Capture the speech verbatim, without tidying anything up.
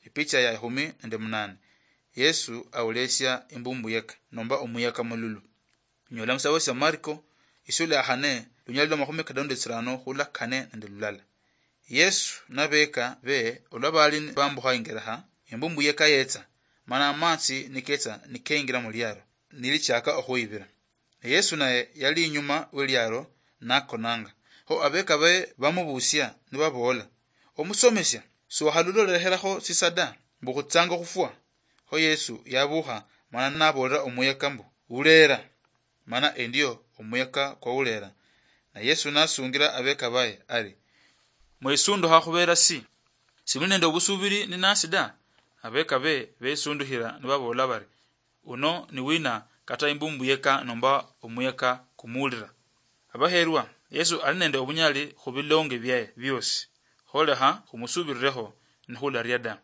Epicha ya ehumi nende munane. Yesu aulesia imbumbuyeka nomba omuyeka mululu. Nyola musabo sia Marko, isula ya hane, lunyali lwa mahumi kadano nende tsirano hula kane nende lulala. Yesu nabeka be olwa bali bambuha ingereha, imbumbuyeka yetsa, mana amatsi niketsa nikeingira muliaro, nilichaka ohuibira. Ne Yesu naye yali inyuma weliaro nakonanga. Ho abeka baye bamubusia nibabola, "Omusomesia, siwahaluloleheraho sisa da, mbu khutsanga khufwa?" Ho Yesu yabuha, mana nabolera omuyeka mbu, "Ulera." Mana endio omuyeka kwawulera. Na Yesu nasungira abeka baye ari, "Mwesunduha khubera si? Simuli nende obusubiri ninasi da?" Abeka be besunduhira nibabola bari, "Uno ni wina kata imbumbuyeka nomba omuyeka kumuulira?" Abaherwa, Yesu ali nende obunyali khubilonge byaye biosi. Kholekha khumusubirirekho nikhularia da.